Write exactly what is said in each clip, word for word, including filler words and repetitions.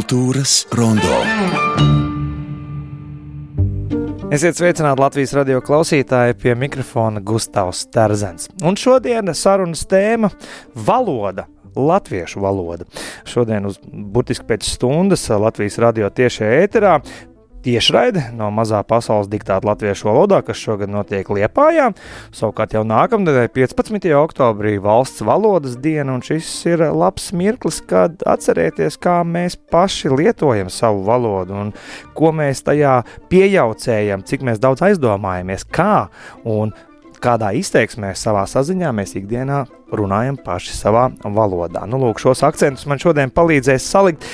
Kultūras rondo. Esiet sveicināti Latvijas radio klausītāji, pie mikrofona Gustavs Terzens. Un šodien sarunas tēma – valoda, latviešu valoda. Šodien uz burtiski pēc stundas Latvijas radio tiešajā ēterā tiešraide no mazā pasaules diktāta latviešu valodā, kas šogad notiek Liepājā. Savukārt jau nākamnedēļ piecpadsmitajā oktobrī valsts valodas diena, un šis ir labs mirklis, kad atcerēties, kā mēs paši lietojam savu valodu un ko mēs tajā piejaucējam, cik mēs daudz aizdomājamies, kā un kādā izteiksmē savā saziņā mēs ikdienā runājam paši savā valodā. Nu, lūk, šos akcentus man šodien palīdzēs salikt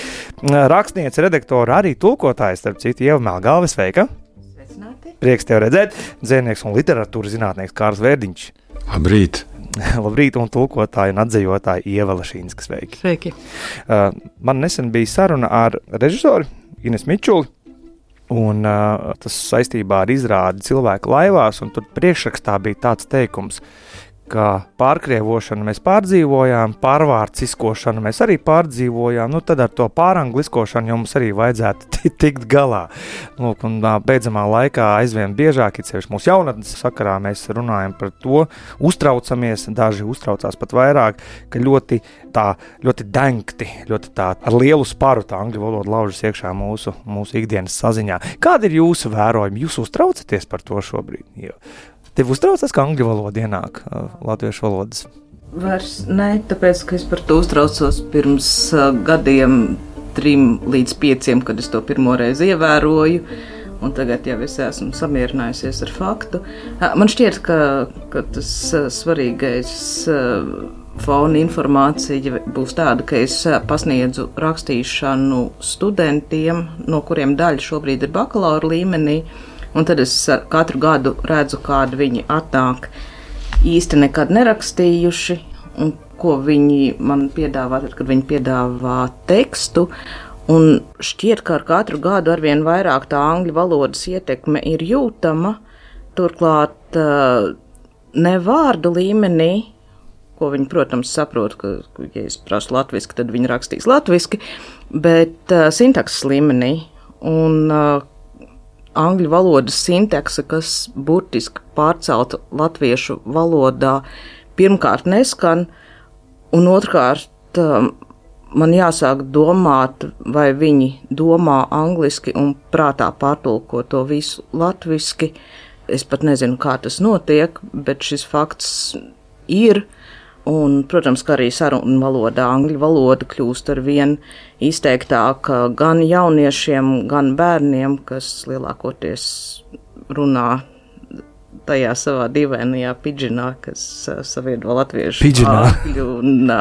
rakstniece, redaktora, arī tulkotājs, starp citu, Ieva Melgalve, sveika! Sveicināti! Prieks tev redzēt, dzēnieks un literatūras zinātnieks Kārls Vērdiņš. Labrīt! Labrīt, un tulkotāja un atdzejotāja Ieva Lašīnska, sveiki! Sveiki! Uh, man nesen bija saruna ar režisoru Ines Mičuli, un uh, tas saistībā ar izrādi Cilvēku laivās, un tur priekšrakstā bija tāds teikums, ka pārkrievošanu mēs pārdzīvojām, pārvārciskošanu mēs arī pārdzīvojām, nu tad ar to pārangliskošanu jau mums arī vajadzētu tikt galā. Lūk, un beidzamā laikā aizvien biežāk, it sevišķi mūsu jaunatnes sakarā, mēs runājam par to, uztraucamies, daži uztraucās pat vairāk, ka ļoti tā, ļoti dengti, ļoti tā ar lielu sparu tā angļu valoda laužas iekšā mūsu, mūsu ikdienas saziņā. Kādi ir jūsu vērojumi? Jūs uztraucaties par to šobrīd? Jo Tev uztraucas, ka angļu valoda ienāk uh, latviešu valodas? Vairs ne, tāpēc, ka es par to uztraucos pirms uh, gadiem trim līdz pieciem, kad es to pirmo reizi ievēroju, un tagad jau es esmu samierinājusies ar faktu. Uh, man šķiet, ka, ka tas uh, svarīgais uh, fona informācija būs tāda, ka es uh, pasniedzu rakstīšanu studentiem, no kuriem daļa šobrīd ir bakalaura līmenī, un tad es katru gadu redzu, kādi viņi atnāk īsti nekad nerakstījuši, un ko viņi man piedāvā, tad, kad viņi piedāvā tekstu. Un šķiet, ka ar katru gadu arvien vairāk tā angļu valodas ietekme ir jūtama, turklāt ne vārdu līmenī, ko viņi, protams, saprot, ka, ja es prasu latviski, tad viņi rakstīs latviski, bet sintakses līmenī. Un angļu valodas sintakse, kas burtiski pārcelta latviešu valodā, pirmkārt neskan, un otrkārt man jāsāk domāt, vai viņi domā angliski un prātā pārtulko to visu latviski. Es pat nezinu, kā tas notiek, bet šis fakts ir. Un, protams, ka arī sarunu valodā angļu valoda kļūst ar vien izteiktāka gan jauniešiem, gan bērniem, kas lielākoties runā tajā savā dīvainajā pidžinā, kas saviedo latviešu angļu un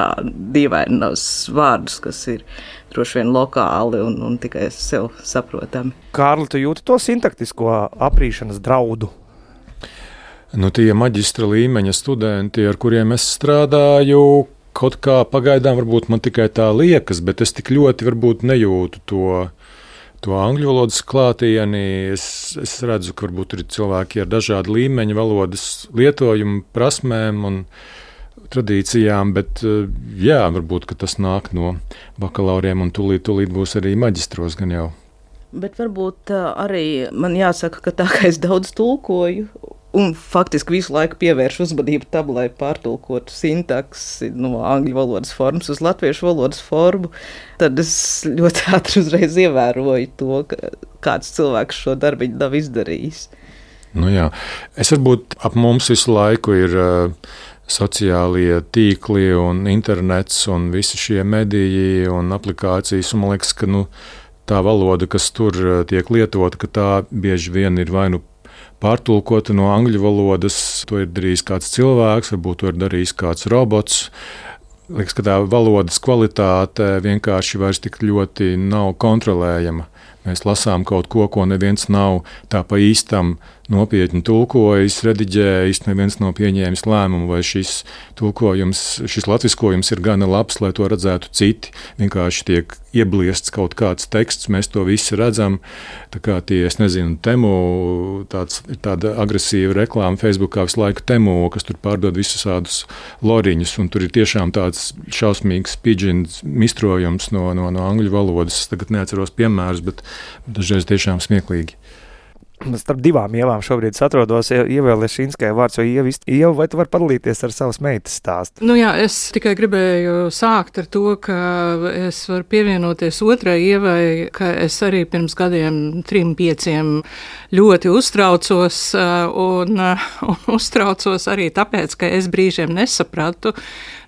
dīvainos vārdus, kas ir droši vien lokāli un, un tikai sev saprotami. Kārli, tu jūti to sintaktisko aprīšanas draudu? Nu, tie maģistra līmeņa studenti, ar kuriem es strādāju, kaut kā pagaidām varbūt man tikai tā liekas, bet es tik ļoti varbūt nejūtu to, to angļu valodas klātieni. Es, es redzu, ka varbūt ir cilvēki ar dažādu līmeņu valodas lietojumu, prasmēm un tradīcijām, bet jā, varbūt, ka tas nāk no bakalauriem un tūlīt, tūlīt būs arī maģistros gan jau. Bet varbūt arī man jāsaka, ka tā kā es daudz tulkoju, un faktiski visu laiku pievērš uzmanību tam, lai pārtulkotu sintaksi no angļu valodas formas uz latviešu valodas formu, tad es ļoti ātri uzreiz ievēroju to, ka kāds cilvēks šo darbiņu nav izdarījis. Nu jā, es varbūt ap mums visu laiku ir uh, sociālie tīkli un internets un visi šie mediji un aplikācijas, un man liekas, ka nu, tā valoda, kas tur tiek lietota, ka tā bieži vien ir vai nu pārtulkota no angļu valodas, to ir darījis kāds cilvēks, varbūt to ir darījis kāds robots. Liekas, ka tā valodas kvalitāte vienkārši vairs tik ļoti nav kontrolējama. Mēs lasām kaut ko, ko neviens nav tā pa īstam nopietni tulkojis, rediģējis, neviens nav pieņēmis lēmumu, vai šis tulkojums, šis latviskojums ir gana labs, lai to redzētu citi. Vienkārši tiek iebliests kaut kāds teksts, mēs to visi redzam. Tā kā tie, es nezinu, Temu, tāds, tāda agresīva reklāma Facebookā visu laiku Temu, kas tur pārdod visus tādus loriņus, un tur ir tiešām tāds šausmīgs pidžins mistrojums no, no, no angļu valodas. Es tagad neatceros piemērus, bet dažreiz tiešām smieklīgi. Starp divām Ievām šobrīd atrodos. Ieva Lešinskai vārds, vai Ieva, Ieva, vai tu vari padalīties ar savas meitas stāstu? Nu jā, es tikai gribēju sākt ar to, ka es varu pievienoties otrai Ievai, ka es arī pirms gadiem trim, pieciem ļoti uztraucos un, un uztraucos arī tāpēc, ka es brīžiem nesapratu.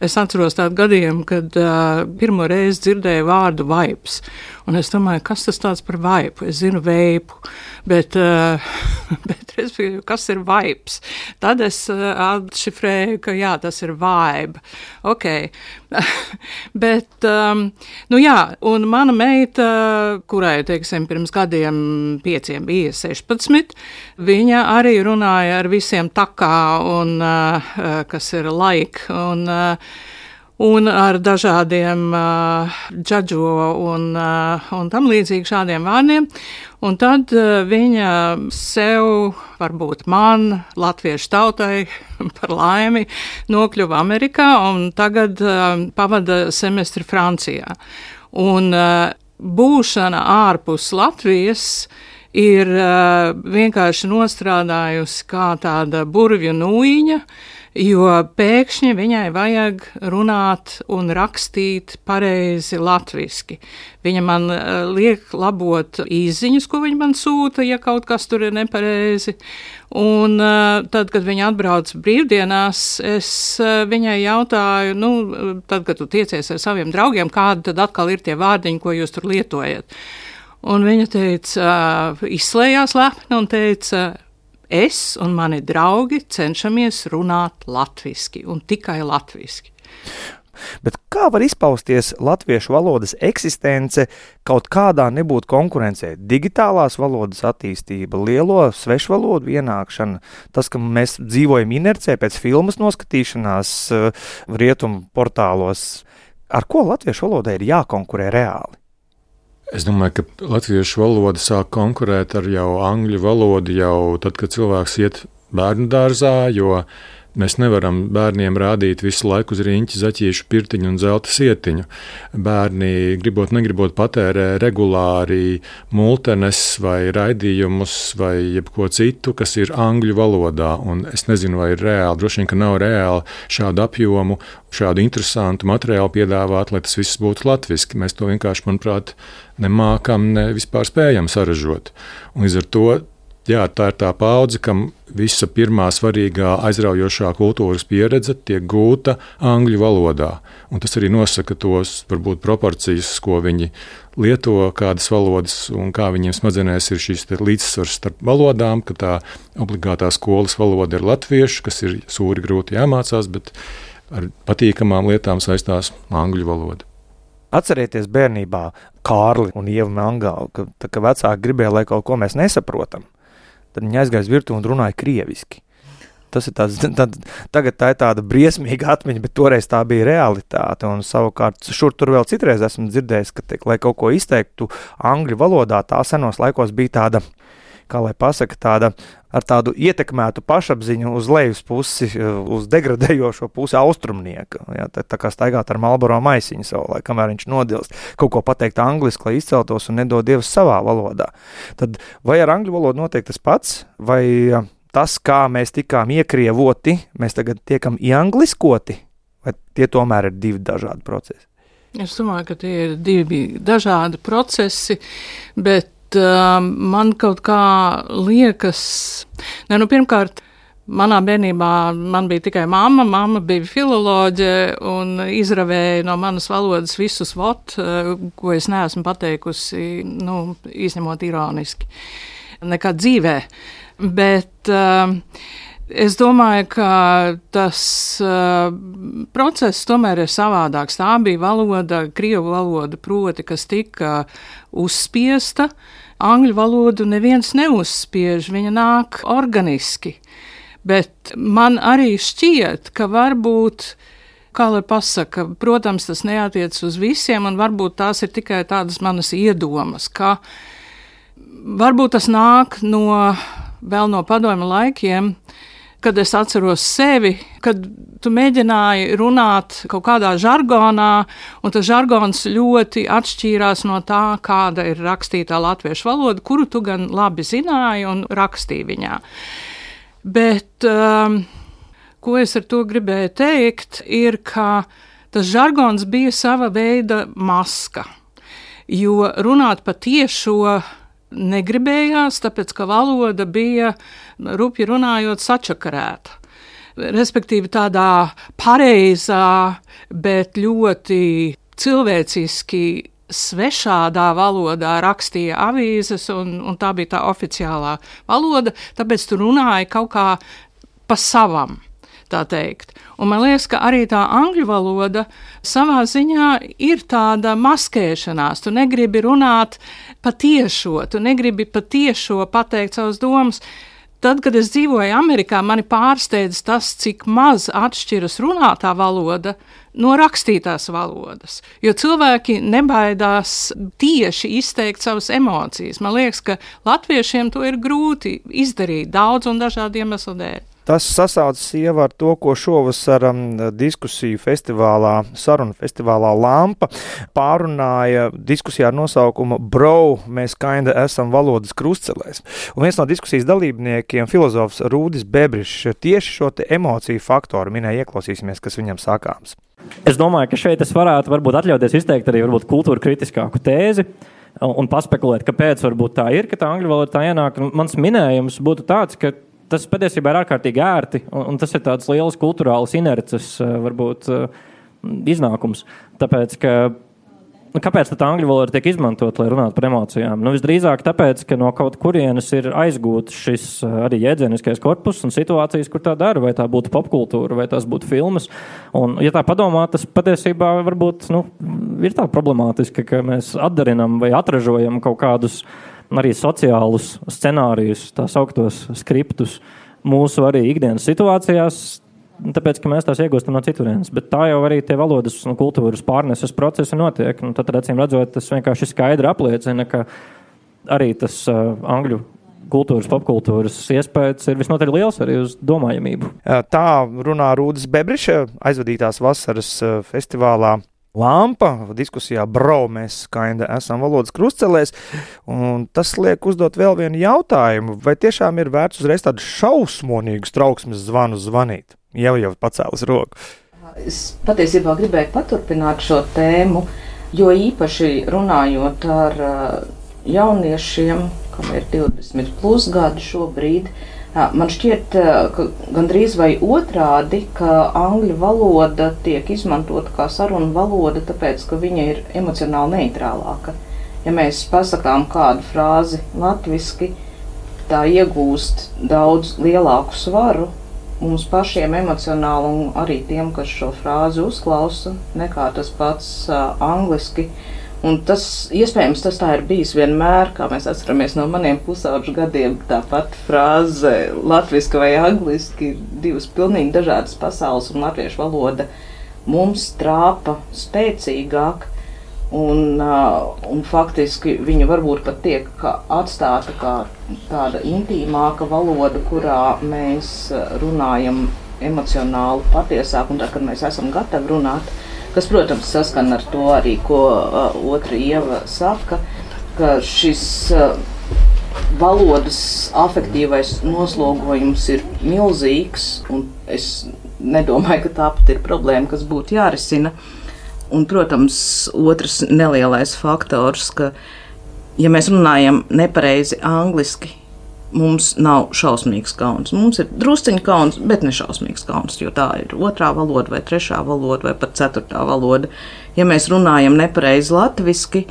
Es atceros tādu gadiem, kad uh, pirmo reizi dzirdēju vārdu vaips. Un es domāju, kas tas tāds par vaipu? Es zinu veipu, bet, uh, bet respektīvi, kas ir vaips? Tad es uh, atšifrēju, ka jā, tas ir vibe. Ok. bet, um, nu jā, un mana meita, kurai, teiksim, pirms gadiem pieciem bija sešpadsmit, viņa arī runāja ar visiem takā un, uh, kas ir like, un, uh, un ar dažādiem uh, džadžo un, uh, un tam līdzīgi šādiem vārdiem. Un tad uh, viņa sev, varbūt man, latviešu tautai, par laimi, nokļuva Amerikā un tagad uh, pavada semestri Francijā. Un uh, būšana ārpus Latvijas ir uh, vienkārši nostrādājusi kā tāda burvju nūjiņa, jo pēkšņi viņai vajag runāt un rakstīt pareizi latviski. Viņa man uh, liek labot īsziņas, ko viņa man sūta, ja kaut kas tur ir nepareizi. Un uh, tad, kad viņa atbrauc brīvdienās, es uh, viņai jautāju, nu, tad, kad tu tiecies ar saviem draugiem, kādi tad atkal ir tie vārdiņi, ko jūs tur lietojat. Un viņa teica, uh, izslējās lepni un teica, es un mani draugi cenšamies runāt latviski un tikai latviski. Bet kā var izpausties latviešu valodas eksistence kaut kādā nebūt konkurencē? Digitālās valodas attīstība, lielo svešvalodu ienākšana, tas, ka mēs dzīvojam inercē pēc filmas noskatīšanās rietumu portālos. Ar ko latviešu valodai ir jākonkurē reāli? Es domāju, ka latviešu valoda sāk konkurēt ar jau angļu valodu jau tad, kad cilvēks iet bērnu dārzā, jo mēs nevaram bērniem rādīt visu laiku uz riņķi zaķīšu pirtiņu un zelta sietiņu. Bērni, gribot, negribot, patērē regulāri multenes vai raidījumus vai jebko citu, kas ir angļu valodā. Un es nezinu, vai ir reāli, droši vien, ka nav reāli šādu apjomu, šādu interesantu materiālu piedāvāt, lai tas viss būtu latviski. Mēs to vienkārši, manuprāt, nemākam, ne vispār spējam saražot. Un līdz ar to, jā, tā ir tā paudze, kam visa pirmā svarīgā aizraujošā kultūras pieredze tiek gūta angļu valodā. Un tas arī nosaka tos, varbūt, proporcijas, ko viņi lieto, kādas valodas un kā viņiem smadzenēs ir šīs līdzsvars starp valodām, ka tā obligātā skolas valoda ir latviešu, kas ir sūri grūti jāmācās, bet ar patīkamām lietām saistās angļu valoda. Atcerieties bērnībā Kārli un Ievu Melngālu, ka, tā, ka vecāki gribēja, lai kaut ko mēs nesaprotam. Tad viņi aizgāja virtuvi un runāja krieviski. Tas ir tāds, tad, tagad tā ir tāda briesmīga atmiņa, bet toreiz tā bija realitāte. Un savukārt šur tur vēl citreiz esmu dzirdējis, ka, te, lai kaut ko izteiktu angļu valodā, tā senos laikos bija tāda, kā lai pasaka, tāda ar tādu ietekmētu pašapziņu uz lejas pusi, uz degradējošo pusi austrumnieka. Jā, tā, tā kā staigāt ar Marlboro maisiņu savulaik, kamēr viņš nodilst, kaut ko pateikt angliski, lai izceltos un nedod Dievs savā valodā. Tad vai ar angļu valodu notiek tas pats, vai tas, kā mēs tikām iekrievoti, mēs tagad tiekam ieangliskoti, vai tie tomēr ir divi dažādi procesi? Es domāju, ka tie ir divi dažādi procesi, bet uh, man kaut kā liekas, ne, nu pirmkārt, manā bērnībā man bija tikai mamma, mamma bija filoloģe un izravēja no manas valodas visus vot, ko es neesmu pateikusi, nu, izņemot ironiski, nekā dzīvē. Bet uh, Es domāju, ka tas uh, process tomēr ir savādāks. Tā bija valoda, krievu valoda, proti, kas tika uzspiesta. Angļu valodu neviens neuzspiež, viņa nāk organiski. Bet man arī šķiet, ka varbūt, kā lai pasaka, protams, tas neatiec uz visiem, un varbūt tās ir tikai tādas manas iedomas, ka varbūt tas nāk no, vēl no padomju laikiem, kad es atceros sevi, kad tu mēģināji runāt kaut kādā žargonā, un tas žargons ļoti atšķīrās no tā, kāda ir rakstītā latviešu valoda, kuru tu gan labi zināji un rakstīji viņā. Bet, um, ko es ar to gribēju teikt, ir, ka tas žargons bija sava veida maska, jo runāt pa tiešo negribējās, tāpēc, ka valoda bija, rupji runājot, sačakarēta. Respektīvi tādā pareizā, bet ļoti cilvēciski svešādā valodā rakstīja avīzes, un, un tā bija tā oficiālā valoda, tāpēc tu runāji kaut kā pa savam, tā teikt. Un man liekas, ka arī tā angļu valoda savā ziņā ir tāda maskēšanās. Tu negribi runāt patiešo, tu negribi patiešo pateikt savas domas. Tad, kad es dzīvoju Amerikā, mani pārsteidz tas, cik maz atšķiras runātā valoda no rakstītās valodas. Jo cilvēki nebaidās tieši izteikt savas emocijas. Man liekas, ka latviešiem to ir grūti izdarīt daudz un dažādu iemeslu dēļ. Tas sasaucas jau ar to, ko šovasar um, diskusiju festivālā, sarunu festivālā Lampa pārunāja diskusijā ar nosaukumu Bro, mēs kinda esam valodas krustcelēs. Un viens no diskusijas dalībniekiem, filozofs Rūdis Bebrišs, tieši šo te emociju faktoru minēja, ieklausīsimies, kas viņam sakāms. Es domāju, ka šeit es varētu varbūt atļauties izteikt arī varbūt kultūra kritiskāku tēzi un paspekulēt, kāpēc varbūt tā ir, ka tā angļu valoda tā ienāk. Mans minējums būtu tāds, ka tas patiesībā ir ārkārtīgi ērti, un, un tas ir tāds liels kulturāls inerces, varbūt, iznākums. Tāpēc, ka, nu, kāpēc tā angļu valoda tiek izmantot, lai runātu par emocijām? Nu, visdrīzāk tāpēc, ka no kaut kurienes ir aizgūts šis arī jēdzieniskais korpus un situācijas, kur tā dara, vai tā būtu popkultūra, vai tās būtu filmas. Un, ja tā padomā, tas patiesībā varbūt, nu, ir tā problemātiski, ka mēs atdarinam vai atražojam kaut kādus arī sociālus scenārijus, tā sauktos skriptus mūsu arī ikdienas situācijās, tāpēc, ka mēs tās iegūstam no citurienes. Bet tā jau arī tie valodas un kultūras pārneses procesi notiek. Nu, tad, acīm redzot, tas vienkārši skaidri apliecina, ka arī tas uh, angļu kultūras, popkultūras iespējas ir visnotaļ liels arī uz domājamību. Tā runā Rūdis Bebriša aizvadītās vasaras festivālā Lampa, diskusijā Bro, mēs kinda esam valodas krustcelēs, un tas liek uzdot vēl vienu jautājumu, vai tiešām ir vērts uzreiz tādu šausmonīgu trauksmes zvanu zvanīt? Jau jau pacēlas roku. Es patiesībā gribēju paturpināt šo tēmu, jo īpaši runājot ar jauniešiem, kam ir divdesmit plus gadi šobrīd, man šķiet, ka gandrīz vai otrādi, ka angļu valoda tiek izmantota kā sarunu valoda, tāpēc, ka viņa ir emocionāli neitrālāka. Ja mēs pasakām kādu frāzi latviski, tā iegūst daudz lielāku svaru mums pašiem emocionāli un arī tiem, kas šo frāzi uzklausa, nekā tas pats uh, angliski. Un tas, iespējams, tas tā ir bijis vienmēr, kā mēs atceramies no maniem pusauģu gadiem, tāpat frāze latviski vai angliski ir divas pilnīgi dažādas pasaules, un latviešu valoda mums trāpa spēcīgāk, un, uh, un faktiski viņa varbūt pat tiek atstāta kā tāda intīmāka valoda, kurā mēs runājam emocionāli patiesāk, un tā, kad mēs esam gatavi runāt, kas, protams, saskan ar to arī, ko uh, otra Ieva saka, ka šis uh, valodas afektīvais noslogojums ir milzīgs, un es nedomāju, ka tā pat ir problēma, kas būtu jārisina. Un, protams, otrs nelielais faktors, ka, ja mēs runājam nepareizi angliski, mums nav šausmīgs kauns. Mums ir drusciņi kauns, bet ne šausmīgs kauns, jo tā ir otrā valoda vai trešā valoda vai pat ceturtā valoda. Ja mēs runājam nepareizi latviski,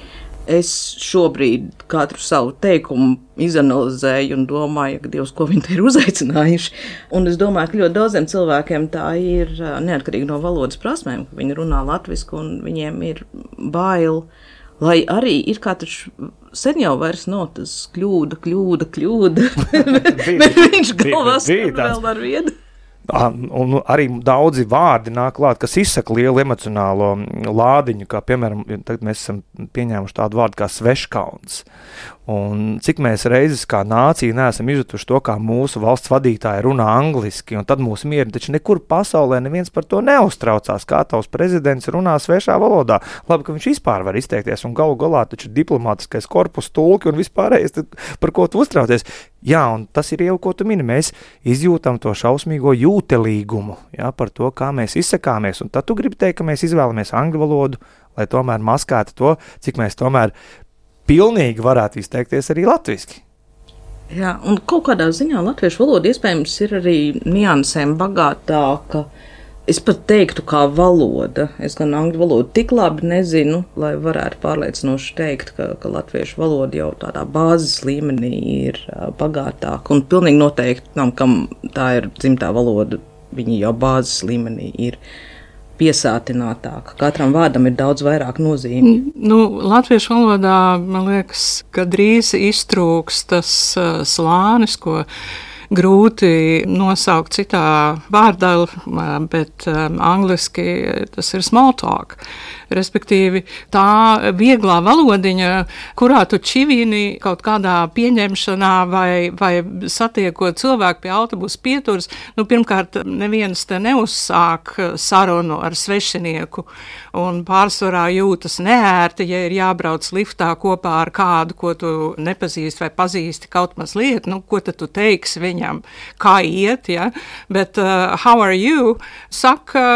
Es šobrīd katru savu teikumu izanalizēju un domāju, ka Dievs, ko viņi te ir uzaicinājuši. Un es domāju, ka ļoti daudziem cilvēkiem tā ir neatkarīgi no valodas prasmēm, ka viņi runā latvisku un viņiem ir bail. Lai arī ir kā taču sen jau vairs nav tas kļūda, kļūda, kļūda, bet viņš galvās vēl ar vienu. Un arī daudzi vārdi nāk klāt, kas izsaka lielu emocionālo lādiņu, kā piemēram, tagad mēs esam pieņēmuši tādu vārdu kā sveškauns. Un cik mēs reizes kā nācija neesam izjutuši to, kā mūsu valsts vadītāji runā angliski, un tad mūsu mieri, taču nekur pasaulē neviens par to neuztraucās, kā tavs prezidents runā svešā valodā. Labi, ka viņš vispār var izteikties, un galu galā taču diplomātiskais korpus, tulki un vispārējais, par ko tu uztraucies. Jā, un tas ir jau, ko tu mini, mēs izjūtam to šausmīgo jūtelīgumu, jā, par to, kā mēs izsakāmies, un tad tu gribi teikt, ka mēs izvēlamies angļu valodu, lai tomēr maskētu to, cik mēs tomēr pilnīgi varētu izteikties arī latviski. Jā, un kaut kādā ziņā latviešu valoda iespējams ir arī niansēm bagātāka. Es pat teiktu, kā valoda. Es gan angļu valodu tik labi nezinu, lai varētu pārliecinoši teikt, ka, ka latviešu valoda jau tādā bāzes līmenī ir bagātāka. Un pilnīgi noteikti tam, kam tā ir dzimtā valoda, viņi jau bāzes līmenī ir piesātinātāka. Katram vārdam ir daudz vairāk nozīmi. Nu, latviešu valodā, man liekas, ka drīz iztrūks tas uh, slānis, ko grūti nosaukt citā vārdā, bet um, angliski tas ir small talk. Respektīvi, tā vieglā valodiņa, kurā tu čivini kaut kādā pieņemšanā vai, vai satiekot cilvēku pie autobusa pieturas, nu, pirmkārt, neviens te neuzsāk sarunu ar svešinieku un pārsvarā jūtas neērti, ja ir jābrauc liftā kopā ar kādu, ko tu nepazīsti vai pazīsti kaut mazliet, nu, ko tad tu teiksi viņam, kā iet, ja? Bet uh, how are you? Saka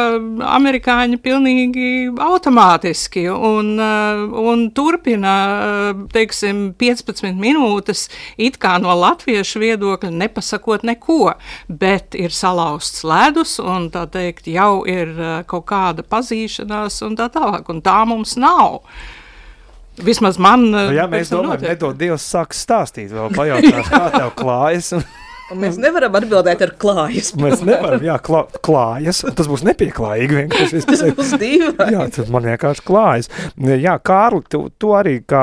amerikāņi pilnīgi automātiski. Un, un turpina, teiksim, piecpadsmit minūtes it kā no latviešu viedokļa nepasakot neko, bet ir salauzts ledus un tā teikt jau ir kaut kāda pazīšanās un tā tālāk, un tā mums nav. Vismaz man... Nu, ja mēs domājam, nedod Dievs sāks stāstīt, vēl pajautāt, kā tev klājas un... Un mēs nevaram atbildēt ar klājas. Mēs nevaram, jā, klā, klājas. Tas būs nepieklājīgi vienkārši. Tas būs dīvaini. Jā, tas man vienkārši klājas. Jā, Kārli, tu, tu arī kā,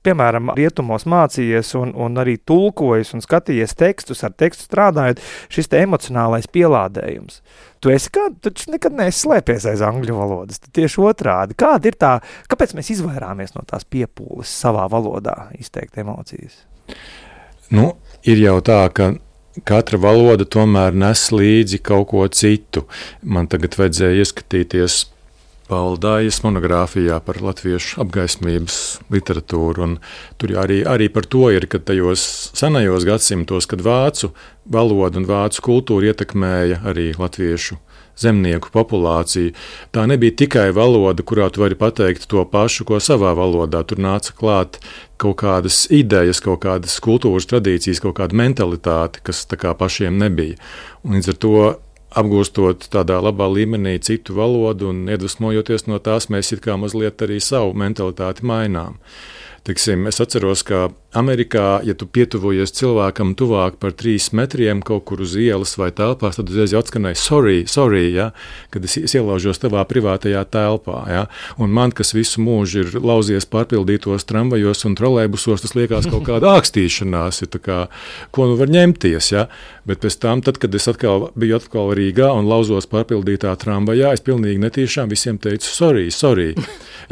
piemēram, rietumos mācījies un, un arī tulkojies un skatījies tekstus, ar tekstu strādājot, šis te emocionālais pielādējums. Tu esi kā, tu nekad neesi slēpies aiz angļu valodas, tu tieši otrādi. Kāda ir tā, kāpēc mēs izvairāmies no tās piepūles savā valodā izteikt emocijas? Nu, ir jau tā, ka katra valoda tomēr nes līdzi kaut ko citu. Man tagad vajadzēja ieskatīties Paula Dājas monogrāfijā par latviešu apgaismības literatūru, un tur arī, arī par to ir, ka tajos senajos gadsimtos, kad vācu valoda un vācu kultūra ietekmēja arī latviešu zemnieku populāciju. Tā nebija tikai valoda, kurā tu vari pateikt to pašu, ko savā valodā. Tur nāca klāt kaut kādas idejas, kaut kādas kultūras tradīcijas, kaut kāda mentalitāte, kas tā kā pašiem nebija. Un līdz ar to, apgūstot tādā labā līmenī citu valodu un iedvesmojoties no tās, mēs it kā mazliet arī savu mentalitāti mainām. Tiksim, es atceros, ka Amerikā, ja tu pietuvojies cilvēkam tuvāk par trīs metriem kaut kur uz ielas vai telpās, tad uzreiz atskanēja sorry, sorry, ja, kad es ielaužos tavā privātajā telpā. Ja. Un man, kas visu mūžu ir lauzies pārpildītos tramvajos un trolejbusos, tas liekas kaut kāda ākstīšanās, ja, tā kā, ko nu var ņemties. Ja. Bet pēc tam, tad, kad es atkal biju atkal Rīgā un lauzos pārpildītā tramvajā, es pilnīgi netīšām visiem teicu sorry, sorry.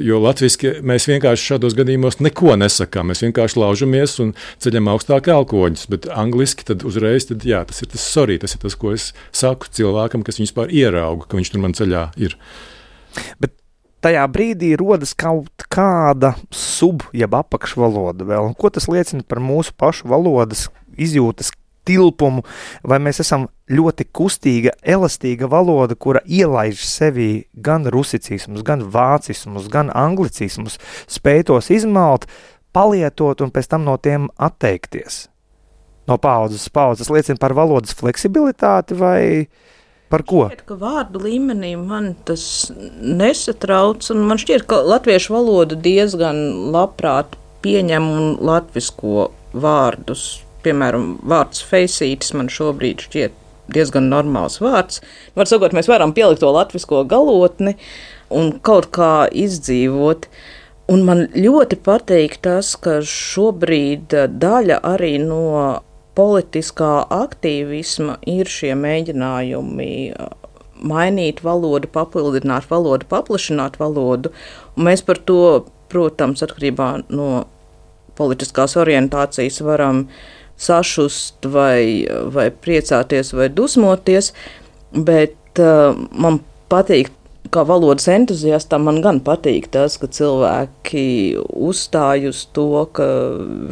Jo latviski mēs vienkārši šādos gadījumos neko nesakām. Mēs vienkārši laužamies un ceļam augstāk elkoņus, bet angliski tad uzreiz, tad, jā, tas ir tas sorry, tas ir tas, ko es saku cilvēkam, kas viņus pār ierauga, ka viņš tur man ceļā ir. Bet tajā brīdī rodas kaut kāda sub, jeb apakšvaloda vēl. Un ko tas liecina par mūsu pašu valodas izjūtas tilpumu, vai mēs esam ļoti kustīga, elastīga valoda, kura ielaiž sevī gan rusicismus, gan vācismus, gan anglicismus, spēj tos izmalt, palietot un pēc tam no tiem atteikties. No paudzes paudzes liecina par valodas fleksibilitāti vai par ko? Šķiet, ka vārdu līmenī man tas nesatrauc, un man šķiet, ka latviešu valoda diezgan labprāt pieņemu un latvisko vārdus. Piemēram, vārds feisītis man šobrīd šķiet diezgan normāls vārds. Var sakot, mēs varam pielikt to latvisko galotni un kaut kā izdzīvot. Un man ļoti patīk tas, ka šobrīd daļa arī no politiskā aktīvisma ir šie mēģinājumi mainīt valodu, papildināt valodu, paplašināt valodu. Un mēs par to, protams, atkarībā no politiskās orientācijas varam sašust vai, vai priecāties vai dusmoties, bet uh, man patīk, kā valodas entuziastam, man gan patīk tas, ka cilvēki uzstāj uz to, ka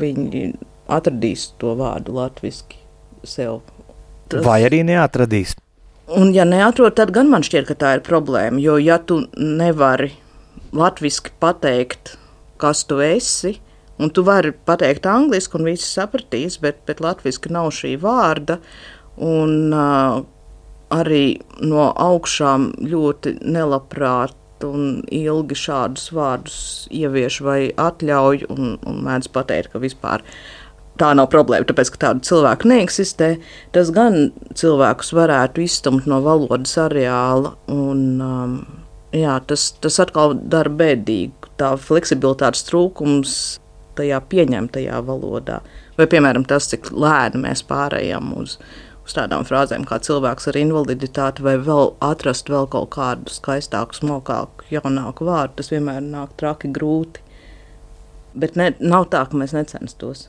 viņi atradīs to vārdu latviski sev. Tas... Vai arī neatradīs? Un ja neatrod, tad gan man šķiet, ka tā ir problēma, jo ja tu nevari latviski pateikt, kas tu esi, un tu vari pateikt angliski, un visi sapratīs, bet, bet latviski nav šī vārda, un uh, arī no augšām ļoti nelabprāt un ilgi šādus vārdus ievieš vai atļauj, un, un mēdz pateikt, ka vispār tā nav problēma, tāpēc, ka tādu cilvēku neeksistē. Tas gan cilvēkus varētu izstumt no valodas areāla, un um, jā, tas, tas atkal dara bēdīgu. Tā fleksibilitātes trūkums tajā pieņemtajā valodā. Vai, piemēram, tas, cik lēni mēs pārējām uz uz tādām frāzēm kā cilvēks ar invaliditāti, vai vēl atrast vēl kaut kādu skaistāku, smalkāku, jaunāku vārdu, tas vienmēr nāk traki grūti. Bet ne, nav tā, ka mēs necenstos.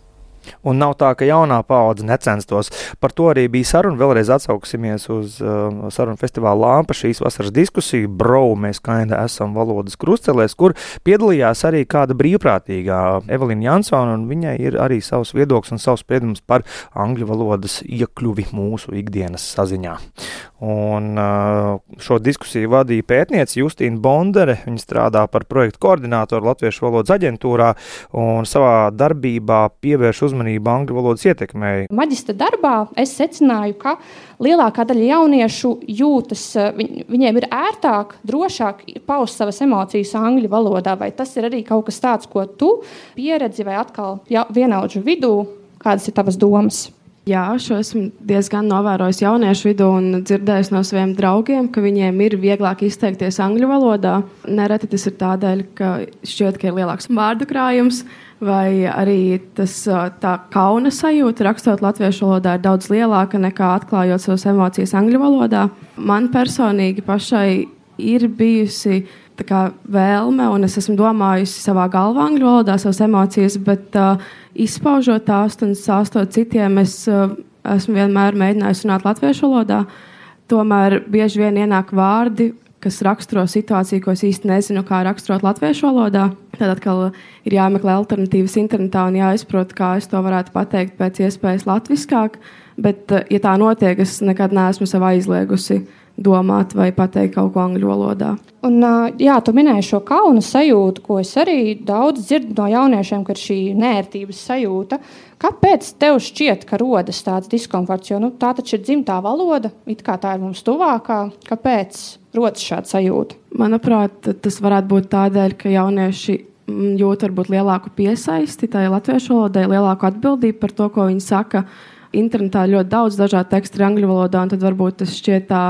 Un nav tā, ka jaunā paudze necenstos. Par to arī bija saruna. Vēlreiz atsauksimies uz uh, sarunu festivāla Lampa šīs vasaras diskusiju. Brau, mēs kainda esam valodas krustcelēs, kur piedalījās arī kāda brīvprātīgā Evelina Jansona, un viņai ir arī savs viedoklis un savs spriedums par angļu valodas iekļuvi mūsu ikdienas saziņā. Un uh, šo diskusiju vadīja pētniece Justīna Bondere. Viņa strādā par projektu koordinātoru Latviešu valodas aģentūrā un savā darbībā pievērš uzmanību angļu valodas ietekmei. Maģistra darbā es secināju, ka lielākā daļa jauniešu jūtas, viņ, viņiem ir ērtāk, drošāk paust savas emocijas angļu valodā, vai tas ir arī kaut kas tāds, ko tu pieredzi vai atkal ja, vienaudžu vidū, kādas ir tavas domas? Jā, šo esmu diezgan novērojis jauniešu vidū un dzirdējis no saviem draugiem, ka viņiem ir vieglāk izteikties angļu valodā. Nereti tas ir tādēļ, ka šķiet, ka ir lielāks vārdu krājums, vai arī tas, tā kauna sajūta rakstot latviešu valodā ir daudz lielāka nekā atklājot savas emocijas angļu valodā. Man personīgi pašai ir bijusi tā kā vēlme, un es esmu domājusi savā galvā angļu valodā savas emocijas, bet uh, izpaužot tās un stāstot citiem, es uh, esmu vienmēr mēģinājusi runāt latviešu valodā. Tomēr bieži vien ienāk vārdi, kas raksturo situāciju, ko es īsti nezinu, kā raksturot latviešu valodā. Tad atkal ir jāmeklē alternatīvas internetā un jāizprot, kā es to varētu pateikt pēc iespējas latviskāk. Bet, uh, ja tā notiek, es nekad neesmu sev aizliegusi domāt vai pateikt kaut ko angļu valodā. Un, jā, tu minēji šo kauna sajūtu, ko es arī daudz dzirdu no jauniešiem, ka ir šī neērtības sajūta. Kāpēc tev šķiet, ka rodas tāds diskomforts? Jo nu, tā taču ir dzimtā valoda, it kā tā ir mums tuvākā. Kāpēc rodas šāda sajūta? Manuprāt, tas varētu būt tādēļ, ka jaunieši jūt varbūt lielāku piesaisti tai latviešu valodai, lielāku atbildību par to, ko viņi saka. Internetā ļoti daudz dažādu tekstu ir angļu valodā, un tad varbūt tas šķiet tā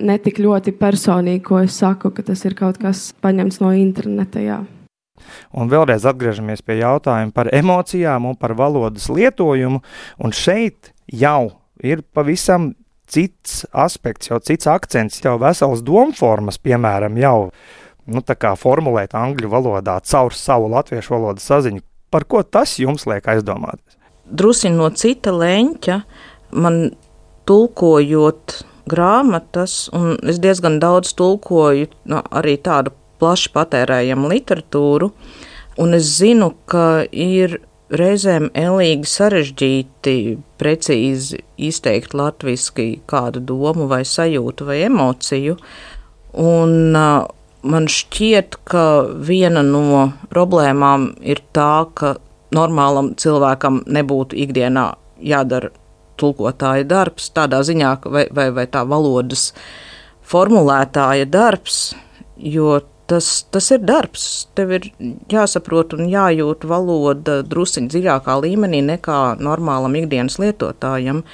netik ļoti personīgi, ko es saku, ka tas ir kaut kas paņemts no interneta. Jā. Un vēlreiz atgriežamies pie jautājuma par emocijām un par valodas lietojumu. Un šeit jau ir pavisam cits aspekts, jau cits akcents, jau veselas domformas, piemēram, jau nu, tā kā formulēt angļu valodā caur savu latviešu valodas saziņu. Par ko tas jums liek aizdomāties? Drusiņ no cita leņķa man tulkojot grāmatas, un es diezgan daudz tulkoju no, arī tādu plaši patērējamu literatūru, un es zinu, ka ir reizēm elīgi sarežģīti precīzi izteikt latviski kādu domu vai sajūtu vai emociju, un uh, man šķiet, ka viena no problēmām ir tā, ka normālam cilvēkam nebūtu ikdienā jādara tulkotāja darbs, tādā ziņā, vai, vai, vai tā valodas formulētāja darbs, jo tas, tas ir darbs. Tev ir jāsaprot un jājūt valoda drusciņ dziļākā līmenī nekā normālam ikdienas lietotājam.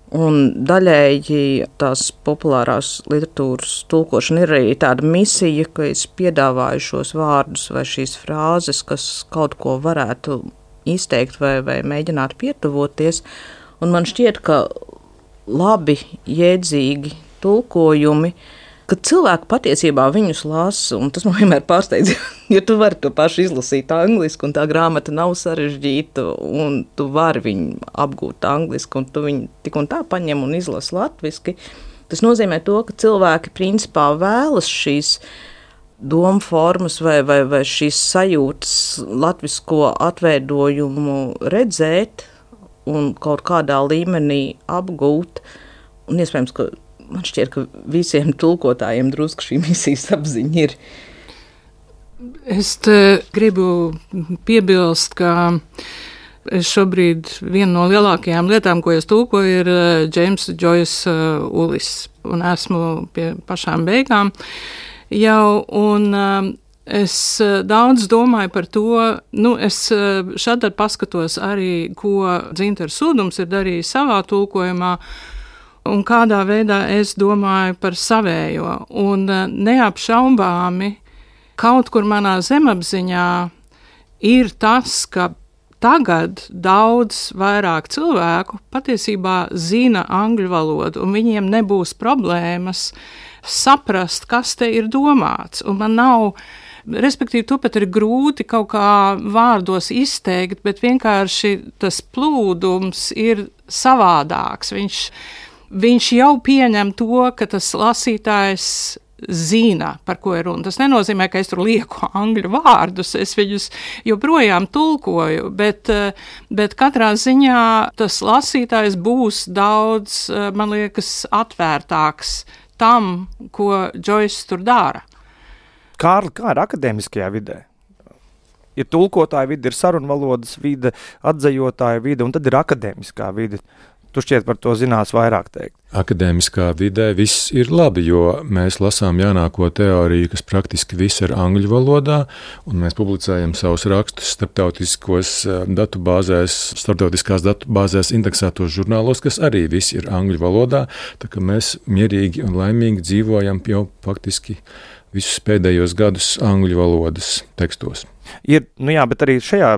Un daļēji tās populārās literatūras tulkošana ir arī tāda misija, ka es piedāvāju šos vārdus vai šīs frāzes, kas kaut ko varētu izteikt vai, vai mēģināt pietuvoties. Un man šķiet, ka labi, jēdzīgi tulkojumi, ka cilvēki patiesībā viņus lasa, un tas man vienmēr pārsteidz, ja tu vari to pašu izlasīt angliski, un tā grāmata nav sarežģīta, un tu vari viņu apgūt angliski, un tu viņu tik un tā paņem un izlasi latviski. Tas nozīmē to, ka cilvēki principā vēlas šīs domu formas vai, vai, vai šīs sajūtas latvisko atveidojumu redzēt un kaut kādā līmenī apgūt, un iespējams, ka man šķiet, ka visiem tulkotājiem drusku šī misijas apziņa ir. Es te gribu piebilst, ka es šobrīd viena no lielākajām lietām, ko es tulkoju, ir James Joyce Ulis, un esmu pie pašām beigām jau, un es daudz domāju par to, nu, es šādi paskatos arī, ko Dzintars Sūdums ir darījis savā tulkojumā, un kādā veidā es domāju par savējo. Un neapšaubāmi kaut kur manā zemapziņā ir tas, ka tagad daudz vairāk cilvēku patiesībā zina angļu valodu, un viņiem nebūs problēmas saprast, kas te ir domāts. Un man nav, respektīvi, to pat ir grūti kaut kā vārdos izteikt, bet vienkārši tas plūdums ir savādāks. Viņš Viņš jau pieņem to, ka tas lasītājs zina, par ko ir runa. Tas nenozīmē, ka es tur lieku angļu vārdus, es viņus joprojām tulkoju, bet, bet katrā ziņā tas lasītājs būs daudz, man liekas, atvērtāks tam, ko Joyce tur dara. Kārli, kā ir akadēmiskajā vidē? Ir tulkotāja vide, ir sarunvalodas vide, atzajotāja vide, un tad ir akadēmiskā vide. Tu šķiet par to zinās vairāk teikt. Akadēmiskā vidē viss ir labi, jo mēs lasām jaunāko teoriju, kas praktiski viss ir angļu valodā, un mēs publicējam savus rakstus starptautiskos datubāzēs, starptautiskās datubāzēs indeksētos žurnālos, kas arī viss ir angļu valodā, tā ka mēs mierīgi un laimīgi dzīvojam jau faktiski visus pēdējos gadus angļu valodas tekstos. Ir, nu jā, bet arī šajā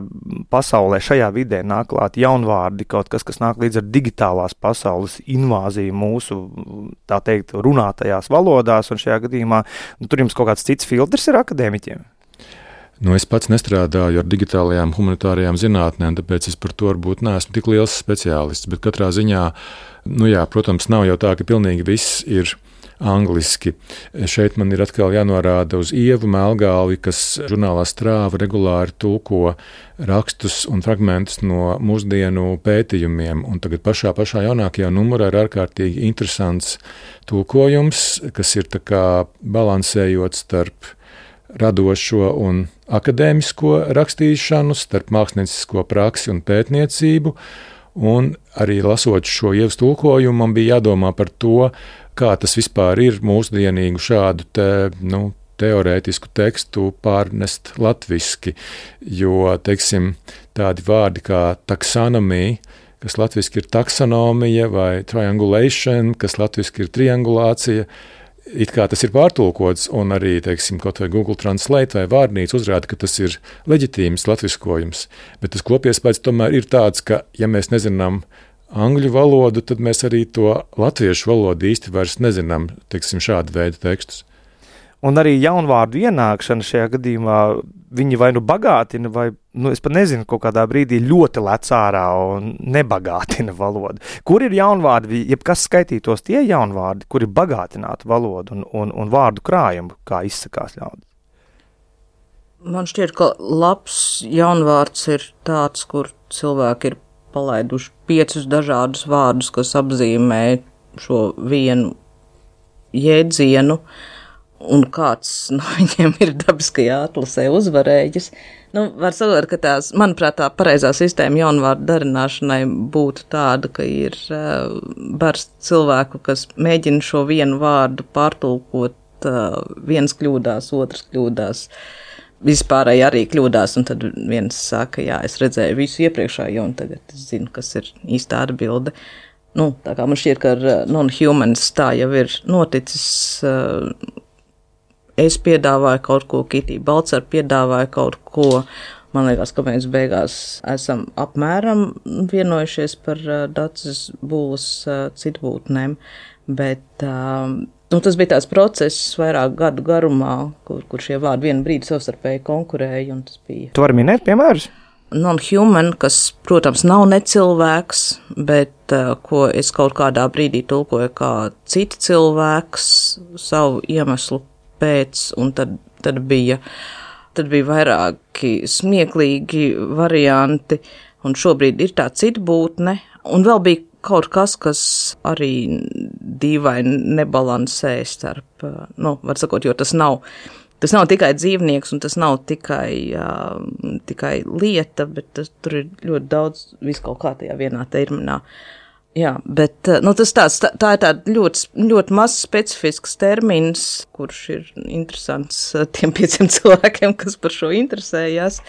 pasaulē, šajā vidē nāk klāt jaunvārdi, kaut kas, kas nāk līdz ar digitālās pasaules invāziju mūsu, tā teikt, runātajās valodās, un šajā gadījumā, nu, tur jums kaut kāds cits filtrs ir akadēmiķiem? Nu, es pats nestrādāju ar digitālajām humanitārajām zinātnēm, tāpēc es par to varbūt neesmu tik liels speciālists, bet katrā ziņā, nu jā, protams, nav jau tā, ka pilnīgi viss ir angliski. Šeit man ir atkal jānorāda uz Ievu Melgāli, kas žurnālā Strāva regulāri tulko rakstus un fragmentus no mūsdienu pētījumiem. Un tagad pašā, pašā jaunākajā numurā ir ārkārtīgi interesants tulkojums, kas ir tā kā balansējot starp radošo un akadēmisko rakstīšanu, starp māksliniecisko praksi un pētniecību. Un arī lasot šo Ievas tulkojumu, man bija jādomā par to, kā tas vispār ir mūsdienīgu šādu te, nu, teorētisku tekstu pārnest latviski, jo, teiksim, tādi vārdi kā taksonomija, kas latviski ir taksonomija, vai triangulation, kas latviski ir triangulācija, it kā tas ir pārtulkots, un arī, teiksim, kaut vai Google Translate vai vārnīca uzrāda, ka tas ir leģitīms latviskojums, bet tas kopiespējas tomēr ir tāds, ka, ja mēs nezinām angļu valodu, tad mēs arī to latviešu valodu īsti vairs nezinām, teiksim, šādu veidu tekstus. Un arī jaunvārdu ienākšana šajā gadījumā, viņi vai nu bagātina, vai, nu, es pat nezinu, kaut kādā brīdī ļoti lec ārā un nebagātina valodu. Kur ir jaunvārdi, jebkas skaitītos tie jaunvārdi, kuri bagātinātu valodu un, un, un vārdu krājumu, kā izsakās ļaudis? Man šķiet, ka labs jaunvārds ir tāds, kur cilvēki ir palaiduši piecus dažādus vārdus, kas apzīmē šo vienu jēdzienu, un kāds no viņiem ir dabiskajā atlasē uzvarējis. Nu, var sakot, ka tās, manuprāt, tā pareizā sistēma jaunvārdu darināšanai būtu tāda, ka ir uh, bars cilvēku, kas mēģina šo vienu vārdu pārtulkot uh, viens kļūdās, otrs kļūdās, vispārēji arī kļūdās, un tad viens saka, jā, es redzēju visu iepriekšējo, un tagad es zinu, kas ir īstā atbilde. Nu, tā kā man šķiet, ka ar non-humans tā jau ir noticis, uh, es piedāvāju kaut ko, Kitī Balcar piedāvāja kaut ko. Man liekas, ka mēs beigās esam apmēram vienojušies par uh, Daces būlas uh, citbūtnēm, bet uh, nu, tas bija tāds process vairāk gadu garumā, kur, kur šie vārdi vienu brīdi savstarpēji konkurēja, un tas bija. Tu vari minēt piemērus? Non-human, kas, protams, nav necilvēks, bet uh, ko es kaut kādā brīdī tulkoju kā cita cilvēks savu iemeslu pēc, un tad, tad bija... Tad bija vairāki smieklīgi varianti, un šobrīd ir tā citbūtne, un vēl bija kaut kas, kas arī dīvaini nebalansē starp, nu, var sakot, jo tas nav, tas nav tikai dzīvnieks, un tas nav tikai, uh, tikai lieta, bet tas, tur ir ļoti daudz visu kaut kā tajā vienā terminā. Jā, bet nu, tas tāds, tā, tā ir tāda ļoti, ļoti maz specifisks termins, kurš ir interesants tiem pieciem cilvēkiem, kas par šo interesējās.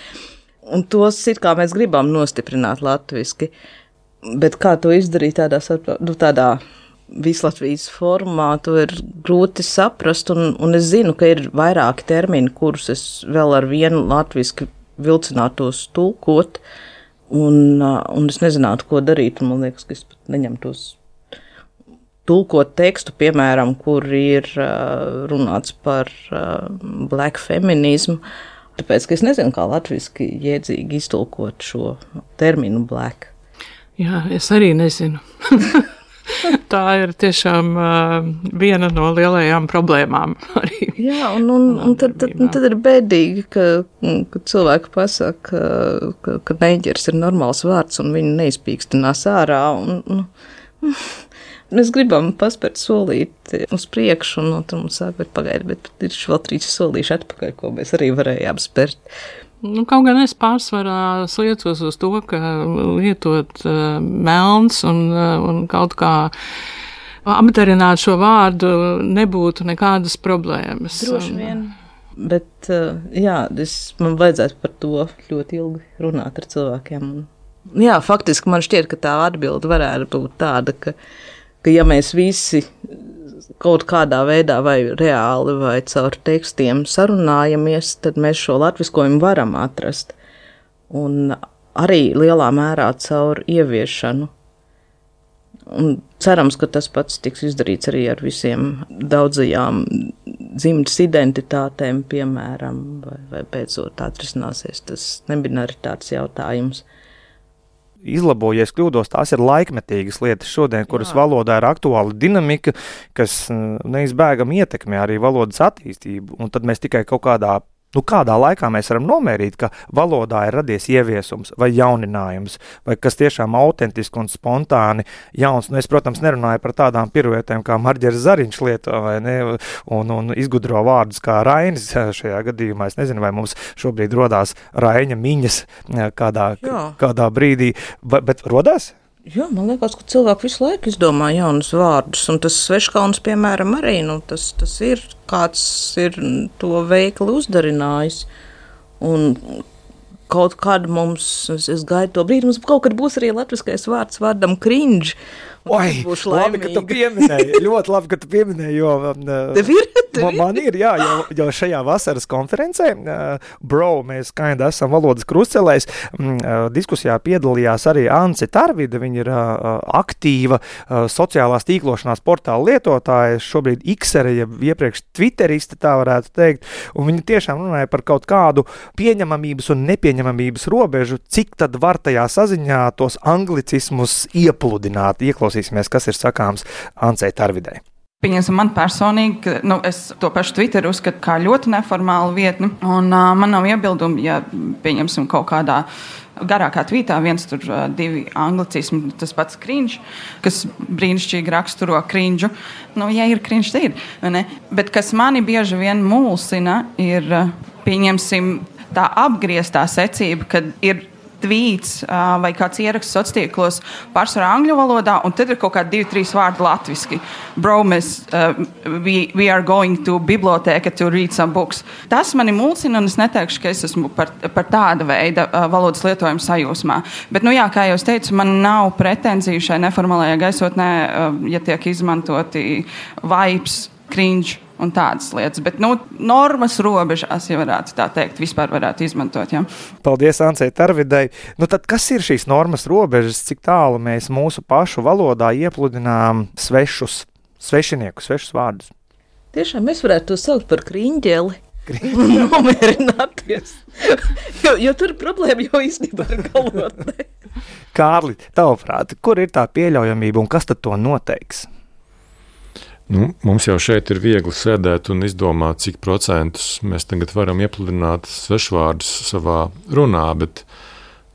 Un tos ir kā mēs gribam nostiprināt latviski. Bet kā to izdarīt tādā, nu, tādā vislatvijas formā, to ir grūti saprast. Un, un es zinu, ka ir vairāki termini, kurus es vēl ar vienu latviski vilcinātos tulkot. Un, un es nezinātu, ko darīt, un man liekas, ka es pat neņemtos tulkot tekstu, piemēram, kur ir uh, runāts par uh, black feminismu, tāpēc, ka es nezinu, kā latviski jēdzīgi iztulkot šo terminu black. Jā, es arī nezinu. Tā ir tiešām uh, viena no lielajām problēmām arī. Jā, un, un, un tad, tad, tad ir bēdīgi, ka, ka cilvēki pasaka, ka, ka neģers ir normāls vārds un viņu neizpīkstinās ārā. Un, un, mēs gribam paspērt solīti uz priekšu, un tad mums sāk, bet pagaidi, bet ir vēl trīs solīši atpakaļ, ko mēs arī varējām spērt. Nu, kaut gan es pārsvarā sliecos uz to, ka lietot uh, melns un, uh, un kaut kā apdarināt šo vārdu nebūtu nekādas problēmas. Droši vien. Bet, uh, jā, es, man vajadzētu par to ļoti ilgi runāt ar cilvēkiem. Jā, faktiski man šķiet, ka tā atbilde varētu būt tāda, ka, ka ja mēs visi kaut kādā veidā vai reāli vai caur tekstiem sarunājamies, tad mēs šo latviskojumu varam atrast. Un arī lielā mērā caur ieviešanu. Un cerams, ka tas pats tiks izdarīts arī ar visiem daudzajām dzimtas identitātēm, piemēram, vai, vai beidzot atrisināsies tas nebinaritātes jautājums. Izlabojies kļūdos, tās ir laikmetīgas lietas šodien, kuras Jā. Valodā ir aktuāla dinamika, kas neizbēgami ietekmē arī valodas attīstību, un tad mēs tikai kaut kādā, nu kādā laikā mēs varam nomērīt, ka valodā ir radies ieviesums vai jauninājums, vai kas tiešām autentiski un spontāni jauns. Nu, es, protams, nerunāju par tādām piruetēm, kā Marģers Zariņš lieto, vai ne, un, un izgudro vārdus kā Rainis šajā gadījumā. Es nezinu, vai mums šobrīd rodās Raiņa miņas kādā, kādā brīdī, bet rodās? Jā, man liekas, ka cilvēki visu laiku izdomā jaunus vārdus, un tas sveškauns, piemēram, arī, nu, tas, tas ir, kāds ir to veikli uzdarinājis, un kaut kad mums, es, es gaidu to brīdi, mums kaut kad būs arī latviskais vārds vārdam cringe. Oi, labi, ka tu pieminēji, ļoti labi, ka tu pieminēji, jo tev ir, tev man, man ir, jā, jo, jo šajā vasaras konferencē, uh, bro, mēs kainda esam valodas krustcelēs, uh, diskusijā piedalījās arī Ance Tarvide, viņa ir uh, aktīva uh, sociālās tīklošanās portāla lietotāja, šobrīd Xere, ja iepriekš Twitteriste, tā varētu teikt, un viņa tiešām runāja par kaut kādu pieņemamības un nepieņemamības robežu, cik tad var tajā saziņā tos anglicismus iepludināt, ieklausīt. Klausīsimies, kas ir sakāms Ancei Tarvidei. Pieņemsim, man personīgi, nu, es to pašu Twitter uzskatu kā ļoti neformālu vietni, un uh, man nav iebildumi, ja pieņemsim kaut kādā garākā tvītā, viens tur uh, divi anglicismi, tas pats cringe, kas brīnišķīgi raksturo cringe. Nu, ja ir cringe, tad ir, ne? Bet kas mani bieži vien mulsina, ir, uh, pieņemsim, tā apgrieztā secība, kad ir tvīts uh, vai kāds ieraksts sociālos pārsvarā angļu valodā, un tad ir kaut kādi divi, trīs vārdi latviski. Bro, mēs, uh, we, we are going to biblioteka to read some books. Tas mani mulsina, un es neteikšu, ka es esmu par, par tāda veida uh, valodas lietojumu sajūsmā. Bet, nu jā, kā jau es teicu, man nav pretenziju šai neformālajā gaisotnē, uh, ja tiek izmantoti vibes, cringe un tādas lietas. Bet, nu, normas robežās, ja varētu tā teikt, vispār varētu izmantot, jā. Paldies, Ancei Tarvidai. Nu tad kas ir šīs normas robežas, cik tālu mēs mūsu pašu valodā iepludinām svešus, svešiniekus, svešus vārdus? Tiešām mēs varētu to saukt par kriņģeli. Un nomierināties. jo, jo tur problēma jau īstenībā ar galotnē. Kārli, tavuprāt, kur ir tā pieļaujamība un kas tad to noteiks? Nu, mums jau šeit ir viegli sēdēt un izdomāt, cik procentus mēs tagad varam iepludināt svešvārdus savā runā, bet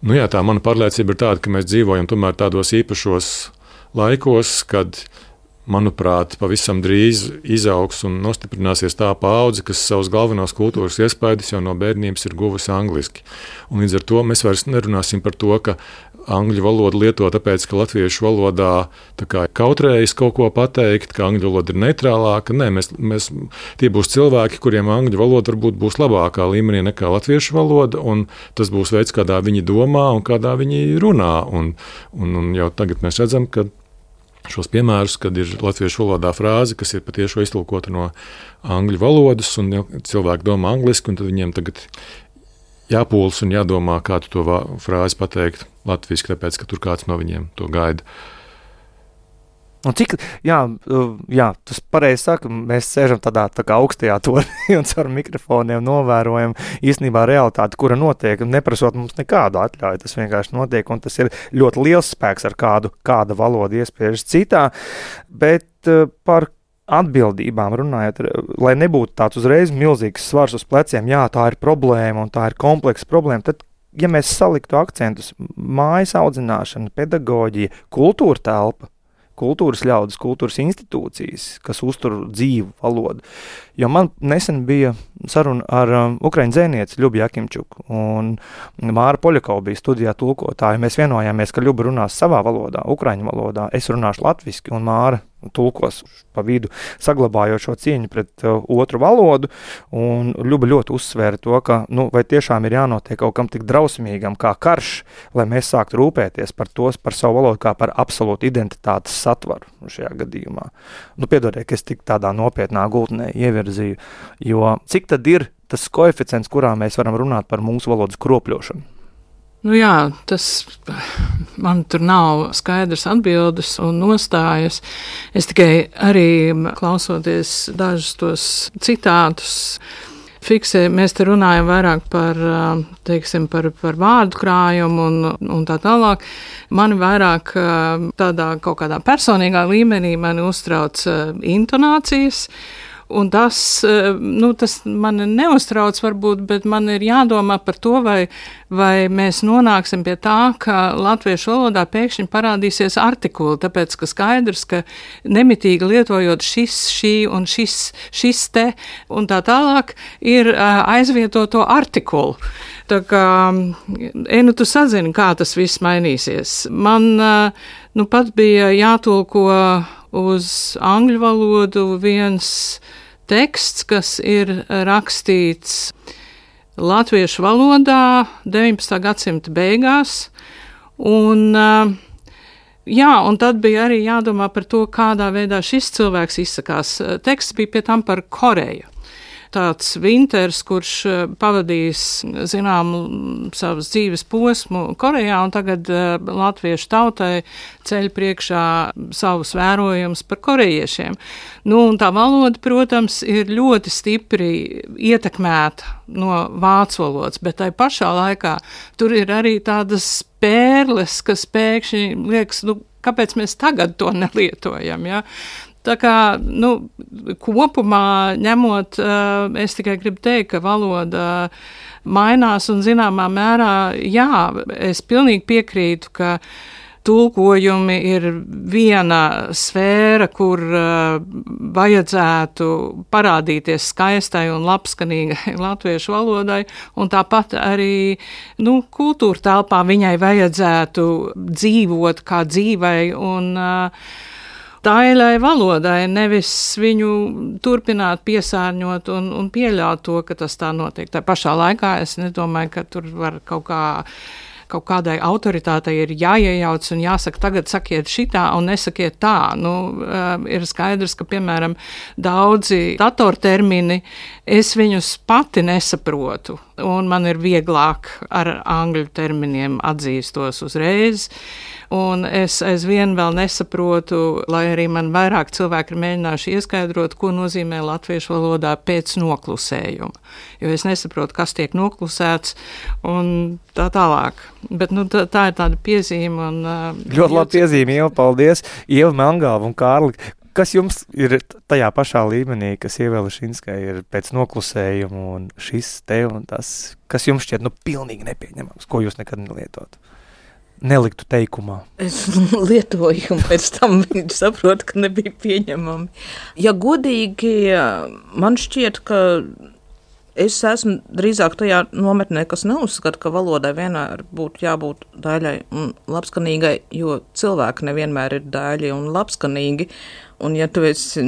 nu jā, tā mana pārliecība ir tāda, ka mēs dzīvojam tomēr tādos īpašos laikos, kad, manuprāt, pavisam drīz izaugs un nostiprināsies tā paudze, kas savus galvenos kultūras iespaidus jau no bērnības ir guvusi angliski. Un līdz ar to mēs vairs nerunāsim par to, ka angļu valodu lieto tāpēc, ka latviešu valodā tā kā kautrējas kaut ko pateikt, ka angļu valoda ir neitrālāka. Nē, mēs, mēs, tie būs cilvēki, kuriem angļu valoda varbūt būs labākā līmenī nekā latviešu valoda, un tas būs veids, kādā viņi domā un kādā viņi runā. Un, un, un jau tagad mēs redzam, ka šos piemērus, kad ir latviešu valodā frāze, kas ir patiešo iztulkota no angļu valodas, un cilvēki domā angliski, un tad viņiem tagad jāpūlas un jādomā, kā tu to frāzi pateikt latviski, tāpēc, ka tur kāds no viņiem to gaida. Un cik, jā, jā, tas pareizi saka, mēs sēžam tādā tā kā augstajā tornī un caur mikrofoniem novērojam īstenībā realitāti, kura notiek, neprasot mums nekādu atļauju, tas vienkārši notiek, un tas ir ļoti liels spēks, ar kādu kāda valoda iespiežas citā, bet par atbildībām runājot, lai nebūtu tāds uzreiz milzīgs svars uz pleciem, jā, tā ir problēma un tā ir kompleksa problēma, tad, ja mēs saliktu akcentus, mājas audzināšana, pedagoģija, kultūra telpa, kultūras ļaudis, kultūras institūcijas, kas uztur dzīvu valodu. Jo man nesen bija saruna ar um, ukraiņu dzēnieci Ļubu Jakimčuku, un Māra Poļakova bija studijā tulkotāja. Mēs vienojāmies, ka Ļuba runās savā valodā, ukraiņu valodā, es runāšu latviski, un Māra tulkos pa vidu, saglabājot šo cieņu pret uh, otru valodu, un Ļuba ļoti uzsvēra to, ka, nu, vai tiešām ir jānotiek kaut kam tik drausmīgam kā karš, lai mēs sāktu rūpēties par tos, par savu valodu kā par absolūtu identitātes satvaru šajā gadījumā. Nu, piedodiet, ka es tik tādā nopietnā gultnē ievirzīju, jo cik tad ir tas koeficients, kurā mēs varam runāt par mūsu valodas kropļošanu? Nu jā, tas man tur nav skaidrs atbildes un nostājas. Es tikai arī klausoties dažus tos citātus fiksēju, mēs te runājam vairāk par, teiksim, par, par vārdu krājumu un, un tā tālāk. Mani vairāk tādā kaut kādā personīgā līmenī mani uztrauc intonācijas. Un tas, nu, tas man neuztrauc varbūt, bet man ir jādomā par to, vai, vai mēs nonāksim pie tā, ka latviešu valodā pēkšņi parādīsies artikuli, tāpēc, ka skaidrs, ka nemitīgi lietojot šis, šī un šis, šis te un tā tālāk ir aizvietoto artikulu. Tā kā, e, nu, tu sazini, kā tas viss mainīsies. Man, nu, pat bija jātulko uz angļu valodu viens teksts, kas ir rakstīts latviešu valodā deviņpadsmitā gadsimta beigās, un, jā, un tad bija arī jādomā par to, kādā veidā šis cilvēks izsakās. Teksts bija pie tam par Koreju. Tāds Vinters, kurš pavadījis, zinām, savas dzīves posmu Korejā, un tagad uh, latviešu tautai ceļ priekšā savus vērojumus par korejiešiem. Nu, un tā valoda, protams, ir ļoti stipri ietekmēta no vācu valodas, bet tai pašā laikā tur ir arī tādas pērles, kas pēkšņi liekas, nu, kāpēc mēs tagad to nelietojam, ja? Tā kā, nu, kopumā ņemot, es tikai gribu teikt, ka valoda mainās un zināmā mērā, jā, es pilnīgi piekrītu, ka tulkojumi ir viena sfēra, kur uh, vajadzētu parādīties skaistai un labskanīgai latviešu valodai, un tāpat arī nu, kultūra telpā viņai vajadzētu dzīvot kā dzīvei un uh, daļai valodai, nevis viņu turpināt piesārņot un, un pieļaut to, ka tas tā notiek. Tā pašā laikā es nedomāju, ka tur var kaut kā kaut kādai autoritātei ir jāiejauc un jāsaka, tagad sakiet šitā un nesakiet tā. Nu, uh, ir skaidrs, ka, piemēram, daudzi datortermini, es viņus pati nesaprotu, un man ir vieglāk ar angļu terminiem atzīstos uzreiz, un es aizvien vēl nesaprotu, lai arī man vairāk cilvēki ir mēģinājuši ieskaidrot, ko nozīmē latviešu valodā pēc noklusējuma, jo es nesaprotu, kas tiek noklusēts, un tā tālāk. Bet nu, tā, tā ir tāda piezīme. Un, uh, ļoti labi piezīme, Ieva, paldies. Ieva Melngalva un Kārli, kas jums ir tajā pašā līmenī, kas Ievai Lešinskai ir pēc noklusējuma un šis te un tas, kas jums šķiet nu pilnīgi nepieņemams, ko jūs nekad nelietot? Neliktu teikumā. Es lietoju, un pēc tam viņi saprot, ka nebija pieņemami. Ja godīgi, man šķiet, ka es esmu drīzāk tajā nometnē, kas neuzskata, ka valodai vienmēr būtu jābūt daļai un labskanīgai, jo cilvēki nevienmēr ir daļi un labskanīgi. Un ja tu esi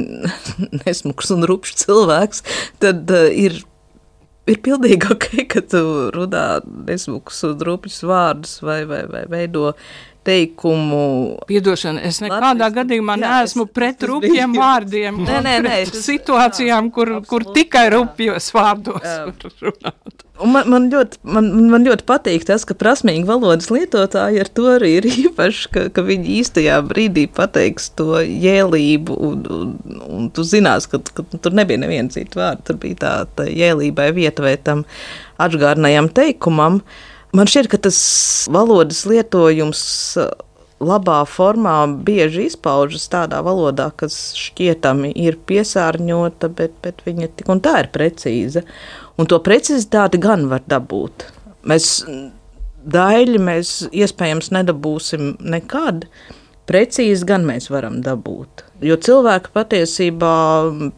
nesmuks un rupšs cilvēks, tad uh, ir Ir pilnīgi ok, ka tu runā nesmukus un rupjus vārdus vai, vai, vai veido teikumu. Piedošana, es nekādā Latvijas, gadījumā jā, neesmu es, pret rupjiem bija... vārdiem. Nē, nē, nē. Pret situācijām, kur, jā, kur tikai rupjos vārdos var runāt. Un man, man, ļoti, man, man ļoti patīk tas, ka prasmīgi valodas lietotāji ar to arī ir īpaši, ka, ka viņi īstajā brīdī pateiks to jēlību, un, un, un tu zinās, ka, ka tur nebija neviena cita vārda, tur bija tā, tā jēlībai vieta vai tam atžgārnajam teikumam. Man šķiet, ka tas valodas lietojums labā formā bieži izpaužas tādā valodā, kas šķietami ir piesārņota, bet, bet viņa tik un tā ir precīza. Un to precizitāti gan var dabūt. Mēs daļi mēs iespējams nedabūsim nekad, precīzi gan mēs varam dabūt. Jo cilvēki patiesībā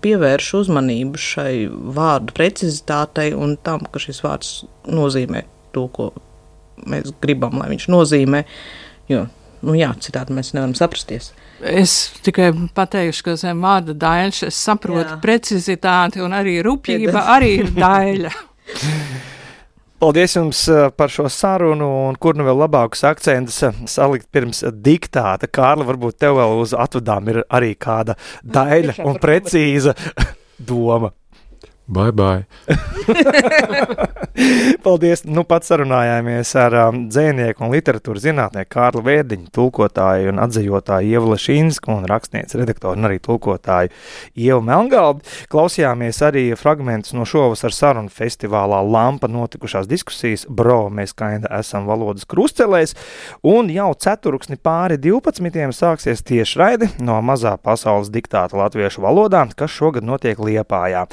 pievērš uzmanību šai vārdu precizitātei un tam, ka šis vārds nozīmē to, ko mēs gribam, lai viņš nozīmē, jo, nu jā, citādi mēs nevaram saprasties. Es tikai pateikšu, ka zem vārda daļš, es saprotu jā. Precizitāti un arī rupjība arī ir daļa. Paldies jums par šo sarunu un kur nu vēl labākus akcentus salikt pirms diktāta. Kārli, varbūt tev vēl uz atvadām ir arī kāda daļa un precīza doma. Bye, bye. Paldies. Nu, pat sarunājāmies ar um, dzejnieku un literatūras zinātnieku Kārli Vērdiņu, tulkotāju un atzejotāju Ievu Lešinsku un rakstnieci, redaktoru un arī tulkotāju Ievu Melngalvi. Klausījāmies arī fragmentus no šovasar sarunu festivālā Lampa notikušās diskusijas Bro, mēs kainda esam valodas krustcelēs, un jau ceturksni pāri divpadsmitiem sāksies tiešraidi no mazā pasaules diktāta latviešu valodā, kas šogad notiek Liepājā.